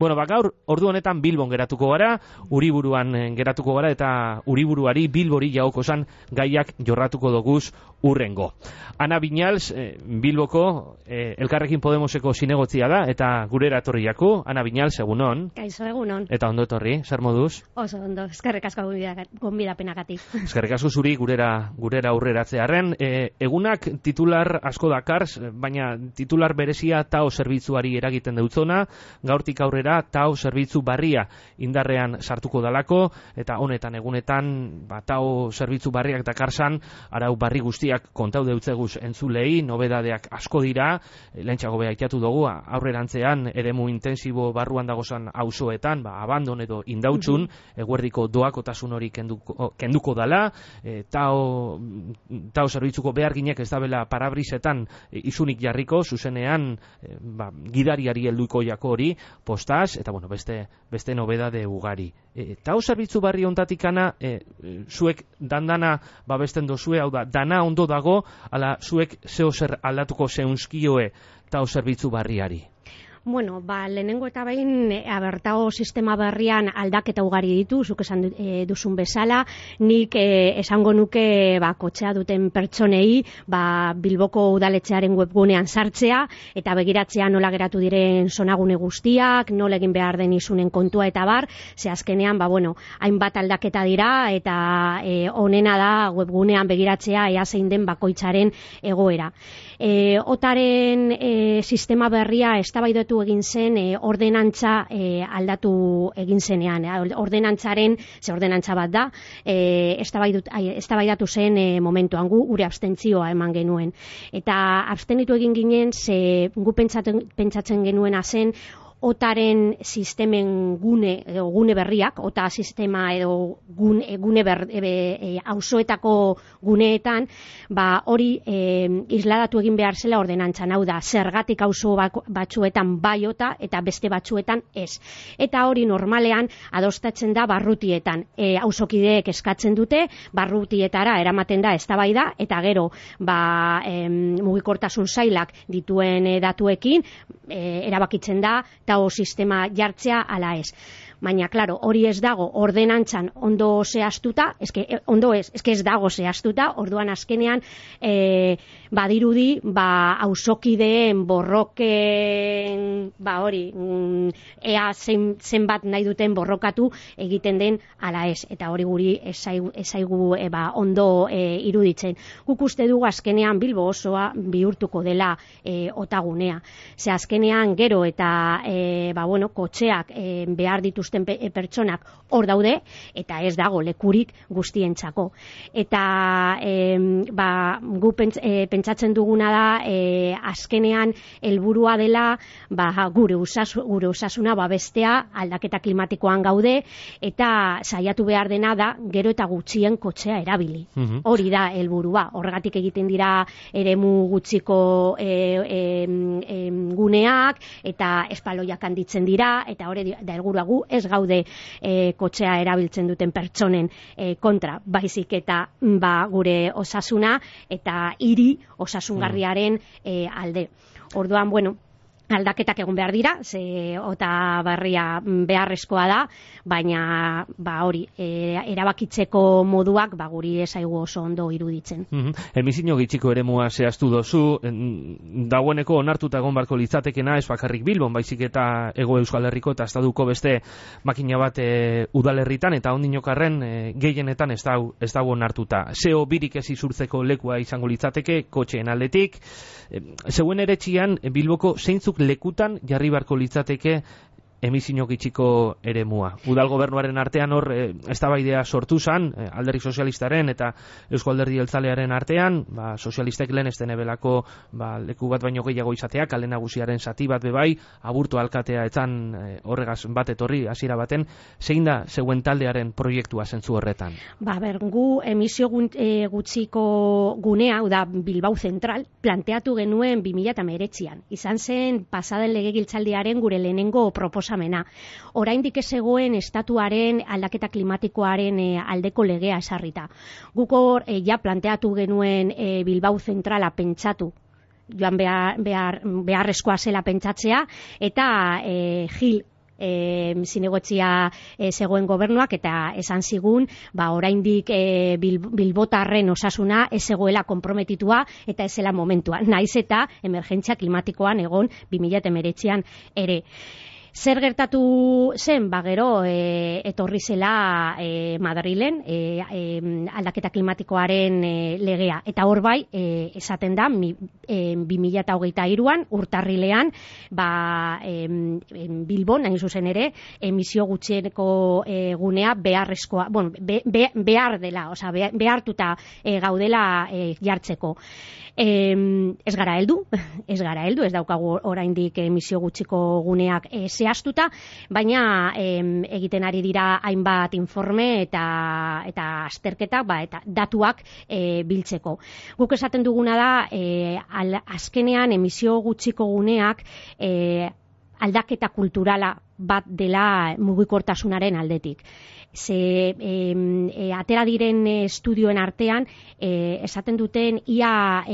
Bueno, gaur ordu honetan Bilbon geratuko gara, Uriburuan geratuko gara eta Uriburuari Bilbori jagokozan gaiak jorratuko doguz urrengo. Ana Viñals, Bilboko Elkarrekin Podemoseko zinegotzia da eta gurera etorriako. Ana Viñals, egunon. Kaixo, egunon. Eta ondo etorri, zer moduz? Oso ondo, eskerrik asko gonbidapenagatik. Eskerrik asko zuri gurera aurreratzearren. Egunak titular asko dakars, baina titular berezia TAO zerbitzuari eragiten deutzona, gaurtik aurrera TAO zerbitzu barria indarrean sartuko dalako, eta honetan egunetan TAO zerbitzu barriak dakarsan arau barri guztiak kontau deutzeguz entzulei, nobedadeak asko dira, lehentxago behaikiatu dugu, aurrerantzean eremu intensibo barruan dagozan auzoetan, abandon edo indautxun, eguerdiko doakotasun hori kenduko dala, TAO zerbitzuko beharginek ez dabela parabrisetan izunik jarriko, zuzenean gidariari helduko jako hori, postaz, eta bueno, beste nobedade ugari. TAO zerbitzu barri ontatikana, zuek dandana babesten dozue, hau da, dana ondo dago, ala zuek zeo zer aldatuko zeunskioe TAO zerbitzu barriari? Bueno, lehenengo eta behin TAO sistema berrian aldaketa ugari ditu, zuk esan duzun bezala, nik esango nuke kotxea duten pertsonei Bilboko udaletxearen webgunean sartzea eta begiratzea nola geratu diren zonagune guztiak, nola egin behar den izunen kontua eta bar, ze azkenean hainbat aldaketa dira eta onena da webgunean begiratzea ea zein den bakoitzaren egoera. Otaren sistema berria eztabaidatu egin zen ordenantza aldatu egin zenean. Ordenantzaren, ze ordenantza bat da, eztabaidatu zen momentuan gure abstentzioa eman genuen. Eta abstenitu egin ginen, ze gu pentsatzen genuena zen, otaren sistemen gune berriak, ota sistema edo gune auzoetako guneetan, hori isladatu egin behar zela ordenantzan, hau da, zergatik auzo batzuetan bai ota eta beste batzuetan ez. Eta hori normalean adostatzen da barrutietan. Auzokideek eskatzen dute, barrutietara eramaten da eztabaida eta gero mugikortasun sailak dituen datuekin erabakitzen da TAO sistema jartzea ala ez. Baina, klaro, hori ez dago ordenantzan ondo zehaztuta, ez dago zehaztuta, orduan azkenean badirudi, auzokideen borroken, ea zenbat nahi duten borrokatu egiten den ala ez, eta hori guri ezaigu ondo iruditzen. Guk uste dugu azkenean Bilbo osoa bihurtuko dela otagunea. Ze azkenean gero eta kotxeak behar dituzten pertsonak hor daude, eta ez dago lekurik guztientzako. Eta gu pentsatzen duguna da azkenean helburua dela gure osasuna babestea, aldaketa klimatikoan gaude, eta saiatu behar dena da gero eta gutxien kotxea erabili. Hori da helburua. Horregatik egiten dira eremu gutxiko guneak, eta espaloiak handitzen dira, eta hori da helburua. Gu ez gaude kotxea erabiltzen duten pertsonen kontra, baizik eta gure osasuna eta hiri osasungarriaren alde. Orduan, aldaketak egon behar dira, ze ota barria beharrezkoa da, baina hori, erabakitzeko moduak guri ezaigu oso ondo iruditzen. Emizio gitxiko eremua zehaztu dozu, dagoeneko onartuta egon barko litzatekena, ez bakarrik Bilbon, baizik eta Hego Euskal Herriko eta estatuko beste makina bat udalerritan, eta ondinokarren gehienetan ez dago onartuta. Zeo birik ez izurtzeko lekua izango litzateke, kotxeen aldetik. Zeuen eretxian, Bilboko zeintzuk lekutan jarri barko litzateke emizio gitxiko eremua. Udal gobernuaren artean hor eztabaidea sortu zan, alderdi sozialistaren eta Eusko Alderdi Jeltzalearen artean, sozialistek lehen ez denebelako leku bat baino gehiago izatea, kale nagusiaren zati bat bebai, Aburto alkatea etzan horregaz bat etorri hasiera baten, zein da zeuen taldearen proiektua zentzu horretan? Gu emisio gutxiko gunea, da Bilbao Zentral, planteatu genuen 2019an. Izan zen pasaden legegiltzaldiaren gure lehenengo proposamena. Oraindik ez zegoen estatuaren aldaketa klimatikoaren aldeko legea esarrita. Guk hor planteatu genuen Bilbao Zentrala pentsatu, joan beharrezkoa zela pentsatzea, eta Gil zinegotzia zegoen gobernuak, eta esan zigun, oraindik bilbotarren osasuna ez zegoela konprometitua eta ez zela momentua, naiz eta emergentzia klimatikoan egon 2019an ere. Zer gertatu zen, gero etorri zela Madrilen aldaketa klimatikoaren legea. Eta hor bai, esaten da, 2023an, urtarrilean, Bilbon, hain zuzen ere, emisio gutxieneko gunea beharrezkoa, behar dela, behartuta gaudela jartzeko. Ez gara heldu, ez daukagu oraindik emisio gutxiko guneak zehaztuta, baina egiten ari dira hainbat informe eta azterketa, eta datuak biltzeko. Guk esaten duguna da, azkenean emisio gutxiko guneak aldaketa kulturala bat dela mugikortasunaren aldetik. Atera diren estudioen artean esaten duten ia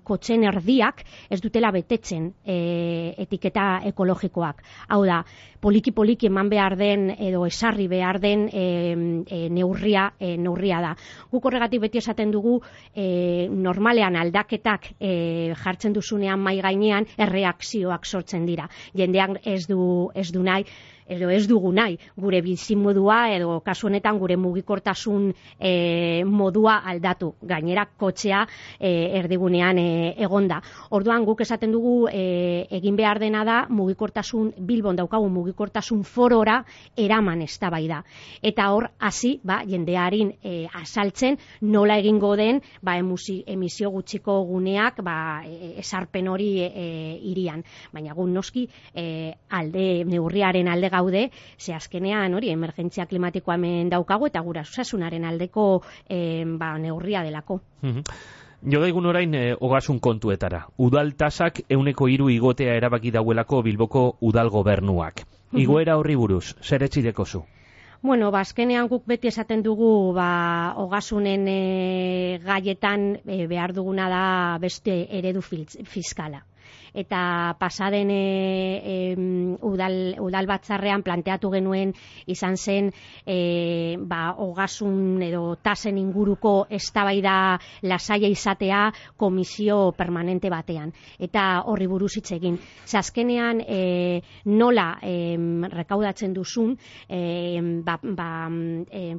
kotxen erdiak ez dutela betetzen etiketa ekologikoak. Hau da, poliki eman behar den edo esarri behar den neurria da. Guk horregatik beti esaten dugu normalean aldaketak jartzen duzunean mai gainean erreakzioak sortzen dira. Jendeak ez du nahi, edo ez dugu nahi, gure bizimodua edo kasu honetan gure mugikortasun modua aldatu. Gainera kotxea erdigunean egonda. Orduan guk esaten dugu egin behar dena da mugikortasun Bilbon daukagun mugikortasun forora eraman eztabaida. Eta hor hasi jendearin azaltzen nola egingo den emisio gutxiko guneak esarpen hori hirian. Baina gu noski neurriaren alde gaude, ze azkenean hori emergentzia klimatikoa hemen daukagu eta gura osasunaren aldeko neurria delako. Jo daigun orain ogasun kontuetara. Udal tasak 103 igotea erabaki dauelako Bilboko udal gobernuak. Igoera horri buruz, zer etxideko zu? Azkenean guk beti esaten dugu ogasunen gaietan behar duguna da beste eredu fiskala. Eta pasaden udal batzarrean planteatu genuen izan zen ogasun edo tasen inguruko eztabaida lasaia izatea komisio permanente batean. Eta horri buruz hitz egin. Azkenean nola rekaudatzen duzun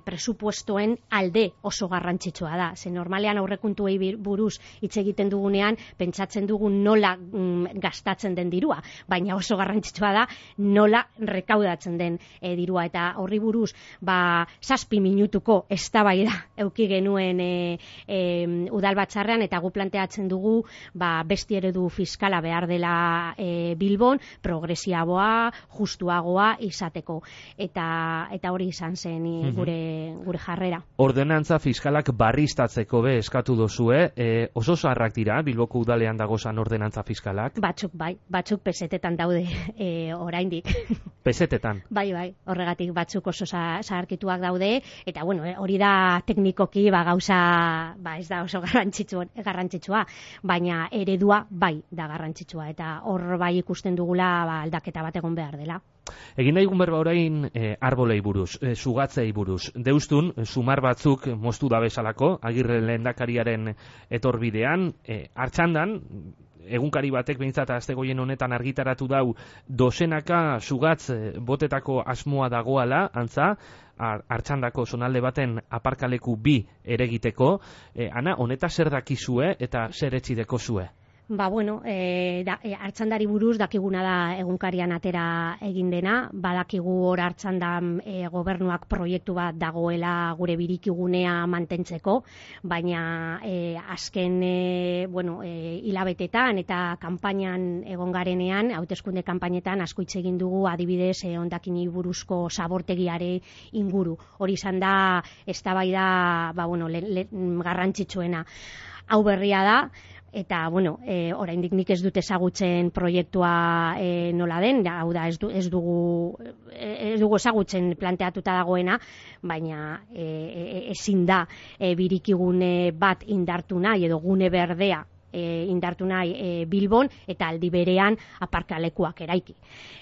presupuestoen alde oso garrantzitsua da. Ze normalean aurrekontuei buruz hitz egiten dugunean pentsatzen dugun nola gastatzen den dirua, baina oso garrantzitsua da nola rekaudatzen den dirua, eta horri buruz 7 minutuko eztabaida eduki genuen udal batzarrean, eta gu planteatzen dugu beste eredu fiskala behar dela Bilbon, progresiboa, justuagoa izateko, eta hori izan zen gure jarrera. Ordenantza fiskalak barriztatzeko eskatu dozue, oso zaharrak dira Bilboko udalean dagozan ordenantza fiskalak? Batzuk bai, batzuk pesetetan daude oraindik. Pesetetan? Bai, horregatik batzuk oso zaharkituak daude, eta hori da teknikoki gauza ez da oso garrantzitsua, baina eredua bai da garrantzitsua, eta hor bai ikusten dugula aldaketa bat egon behar dela. Egin daigun berba orain arbolei buruz, sugatzei buruz. Deustun, sumar batzuk moztu da bezalako, Agirre lehendakariaren etorbidean, Artxandan, egunkari batek behintzat astegoien honetan argitaratu dau dozenaka sugatz botetako asmoa dagoala, antza, Artxandako zonalde baten aparkaleku 2 eregiteko. Ana, honeta zer dakizue eta zer etxideko zue? Artxandari buruz dakiguna da egunkarian atera egin dena, badakigu hor Artxandan gobernuak proiektu bat dagoela gure birikigunea mantentzeko, baina azken hilabetetan eta kanpainan egon garenean, hauteskunde kanpainetan asko hitz egin dugu adibidez hondakini buruzko zabortegiare inguru. Hori izan da eztabaida garrantzitsuena. Hau berria da, eta oraindik nik ez dut ezagutzen proiektua nola den, hau da ez dugu ezagutzen planteatuta dagoena, baina ezin da birikigune bat indartu nahi edo gune berdea indartu nahi Bilbon, eta aldi berean aparkalekuak eraiki.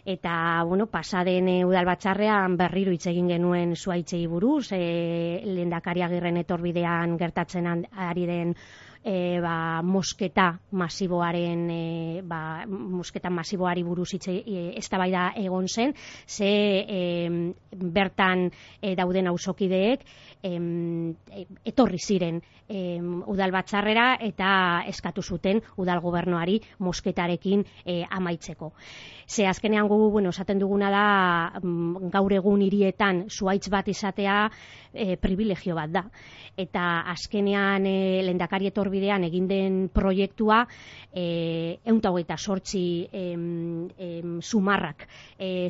Eta, pasaden udalbatzarrean berriro hitz egin genuen Zuhaitzei buruz, Lehendakari Agirren etorbidean gertatzen ari den mosketa masiboaren mosketa masiboari buruz eztabaida egon zen, ze bertan dauden auzokideek etorri ziren udalbatzarrera eta eskatu zuten udal gobernuari mosketarekin amaitzeko. Ze azkenean gu, esaten duguna da, gaur egun hirietan zuhaitz bat izatea privilegio bat da. Eta azkenean Lehendakari etorbidean egin den proiektua 128 sumarrak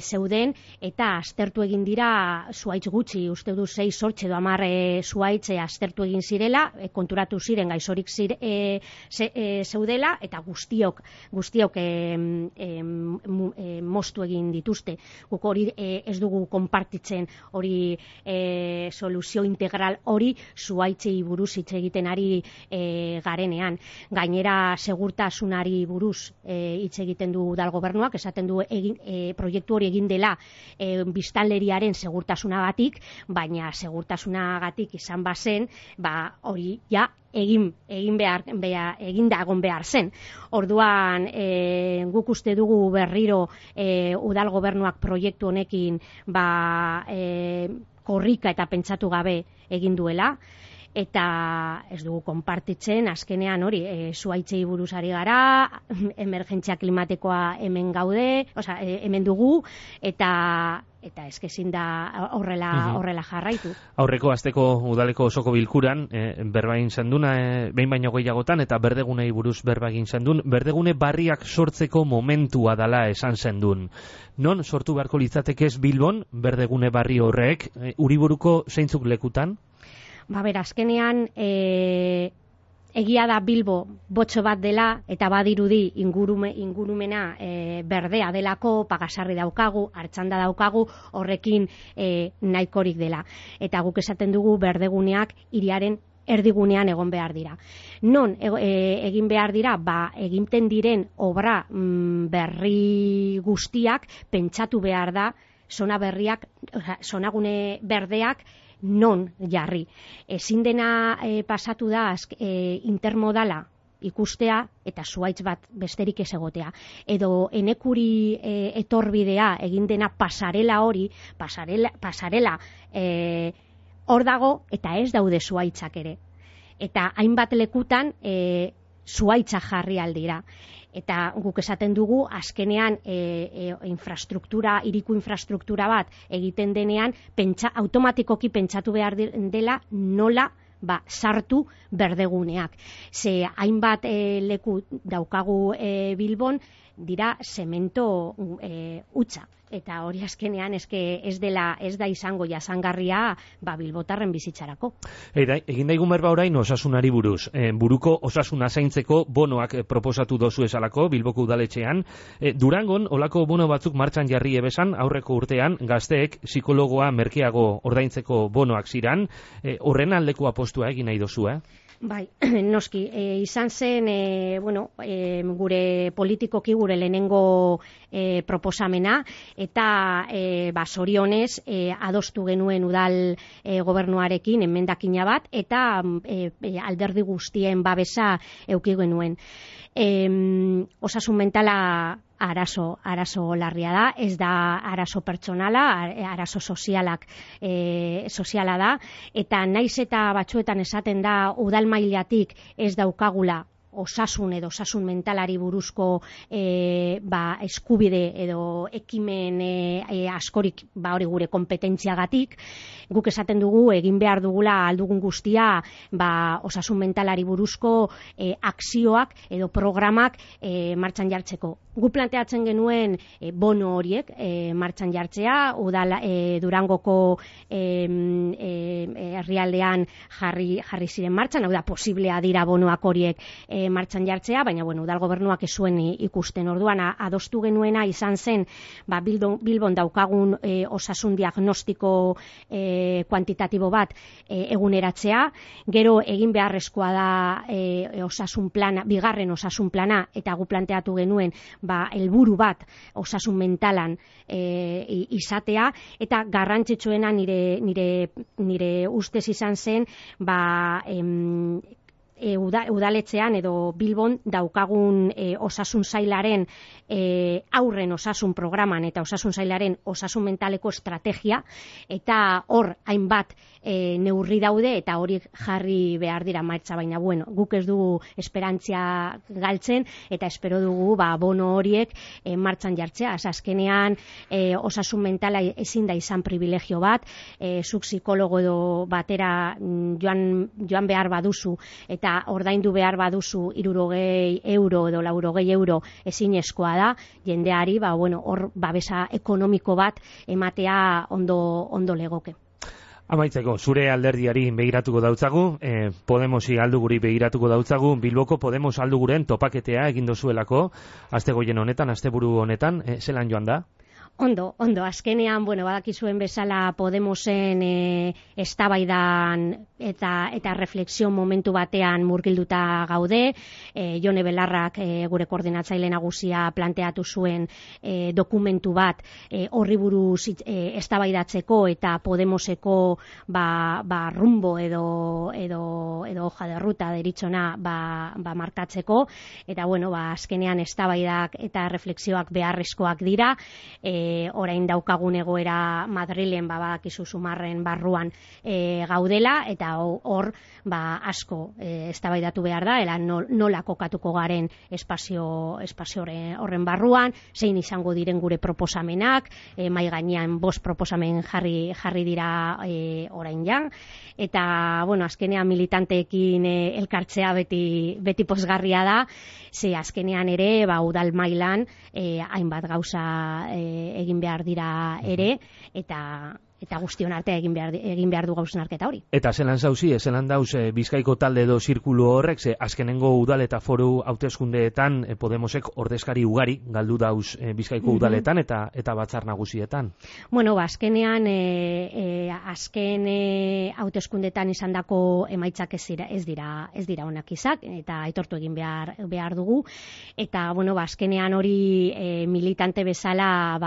zeuden, eta aztertu egin dira zuhaitz gutxi, uste du 6 edo 10 zuhaitz aztertu egin zirela, konturatu ziren gaizorik zeudela, eta guztiok moztu egin dituzte. Guk hori ez dugu konpartitzen, hori soluzio integral hori zuhaitzei buruz hitz egiten ari garenean. Gainera segurtasunari buruz hitz egiten du udal gobernuak, esaten du proiektu hori egin dela biztanleriaren segurtasunagatik, baina segurtasunagatik izan bazen, hori ja eginda egon behar zen. Orduan, guk uste dugu berriro udal gobernuak proiektu honekin korrika eta pentsatu gabe egin duela, eta ez dugu konpartitzen, azkenean hori, zuhaitzei buruz ari gara, emergentzia klimatikoa hemen gaude, hemen dugu, eta ezin da horrela jarraitu. Aurreko asteko udaleko osoko bilkuran, berba egin zenduna, behin baino gehiagotan, eta berdegunei buruz berba egin zendun, berdegune barriak sortzeko momentua dala esan zendun. Non sortu beharko litzatekez Bilbon, berdegune barri horrek, Uriburuko zeintzuk lekutan? Azkenean, egia da Bilbo botxo bat dela, eta badirudi ingurumena berdea delako, Pagasarri daukagu, Artxanda daukagu, horrekin nahikorik dela. Eta guk esaten dugu berdeguneak hiriaren erdigunean egon behar dira. Non egin behar dira? Egiten diren obra berri guztiak pentsatu behar da, zonagune berdeak non jarri. Ezin dena pasatu da intermodala ikustea eta zuhaitz bat besterik ez egotea. Edo enekuri etorbidea egin dena pasarela hor dago eta ez daude zuhaitzak ere. Eta hainbat lekutan zuhaitza jarri aldira. Eta guk esaten dugu, azkenean hiriku infrastruktura bat egiten denean, automatikoki pentsatu behar dela nola sartu berdeguneak. Ze hainbat leku daukagu Bilbon dira zemento hutsa. Eta hori azkenean ez da izango jasangarria bilbotarren bizitzarako. Egin daigun berba orain osasunari buruz. Buruko osasuna zaintzeko bonoak proposatu dozu esalako Bilboko udaletxean. Durangon olako bono batzuk martxan jarri ebesan aurreko urtean gazteek psikologoa merkeago ordaintzeko bonoak ziran. Horren aldeko apostua egin nahi dozu, Bai, noski, izan zen, gure politikoki gure lehenengo proposamena, eta zorionez adostu genuen udal gobernuarekin emendakina bat, eta alderdi guztien babesa eduki genuen. Osasun mentala arazo larria da, ez da arazo pertsonala, arazo soziala da, eta naiz eta batzuetan esaten da udal mailatik ez daukagula osasun edo osasun mentalari buruzko eskubide edo ekimen askorik hori gure kompetentziagatik, guk esaten dugu egin behar dugula aldugun guztia osasun mentalari buruzko akzioak edo programak martxan jartzeko. Gu planteatzen genuen bono horiek martxan jartzea, Durangoko herrialdean jarri ziren martxan, hau da, posiblea dira bonoak horiek martxan jartzea, baina udal gobernuak ez zuen ikusten. Orduan adostu genuena izan zen Bilbon daukagun osasun diagnostiko kuantitatibo bat eguneratzea, gero egin beharrezkoa da osasun plana, bigarren osasun plana, eta gu planteatu genuen helburu bat osasun mentalan izatea, eta garrantzitsuena nire ustez izan zen udaletxean edo Bilbon daukagun osasun sailaren aurren osasun programan eta osasun sailaren osasun mentaleko estrategia, eta hor hainbat neurri daude eta hori jarri behar dira martxa, baina guk ez dugu esperantzia galtzen eta espero dugu bono horiek martxan jartzea. Azkenean osasun mentala ezin da izan privilegio bat, zuk psikologo edo batera joan behar baduzu eta ordaindu behar baduzu 60 euro edo 80 euro ezinezkoa da, jendeari hor babesa ekonomiko bat ematea ondo legoke. Amaitzeko, zure alderdiari begiratuko dautzagu, Podemosi alduguri begiratuko dautzagu, Bilboko Podemos alduguren topaketea egin dozuelako, astegoien honetan, asteburu honetan, zelan joan da? Ondo, azkenean, badakizuen bezala Podemosen eztabaidan eta refleksio momentu batean murgilduta gaude. Jone Belarrak, gure koordinatzaile nagusia, planteatu zuen dokumentu bat horri buruz eztabaidatzeko eta Podemoseko rumbo edo hoja de ruta deritzona markatzeko, eta azkenean eztabaidak eta refleksioak beharrezkoak dira. Orain daukagun egoera Madrilen badakizu Zumarren barruan gaudela, eta hor asko eztabaidatu behar da, nola kokatuko garen espazio horren barruan, zein izango diren gure proposamenak, mahai gainean 5 proposamen jarri dira orain jan, eta azkenean militanteekin elkartzea beti pozgarria da, ze azkenean ere udal mailan hainbat gauza egin behar dira ere, eta guztion artea egin behar du hausnarketa hori. Eta zelan zauzi, zelan dauz Bizkaiko talde edo zirkulu horrek, ze azkenengo udal eta foru hauteskundeetan Podemosek ordezkari ugari galdu dauz Bizkaiko udaletan eta batzar nagusietan? Azkenean azken hauteskundeetan izandako emaitzak ez dira onak izak, eta aitortu egin behar dugu, eta azkenean hori militante bezala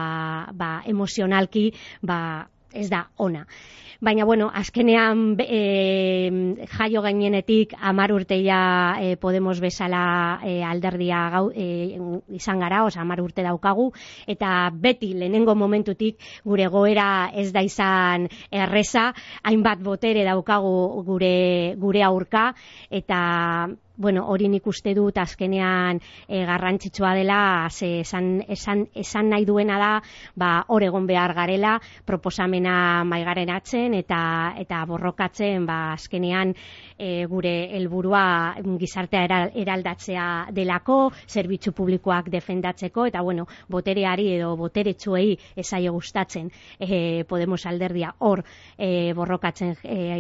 emozionalki ez da ona. Baina, azkenean jaio gainenetik 10 urteia Podemos bezala alderdia izan gara, 10 urte daukagu, eta beti lehenengo momentutik gure goera ez da izan erreza, hainbat botere daukagu gure aurka, eta hori nik uste dut azkenean garrantzitsua dela, esan nahi duena da, hor egon behar garela, proposamena maigarenatzen eta borrokatzen, azkenean gure helburua gizartea eraldatzea delako, zerbitzu publikoak defendatzeko, eta botereari edo boteretsuei ezaio gustatzen Podemos alderdia hor borrokatzen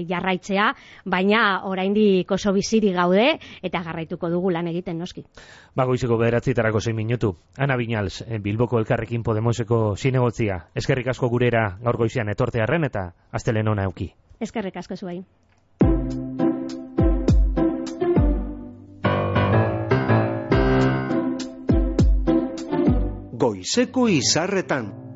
jarraitzea, baina oraindik oso bizirik gaude, eta garraituko dugu lan egiten, noski. Goizeko 9:06 minutu. Ana Viñals, Bilboko Elkarrekin Podemoseko zinegotzia. Eskerrik asko gurera gaur goizean etortearren eta astelen ona euki. Eskerrik asko zuei. Goizeko izarretan.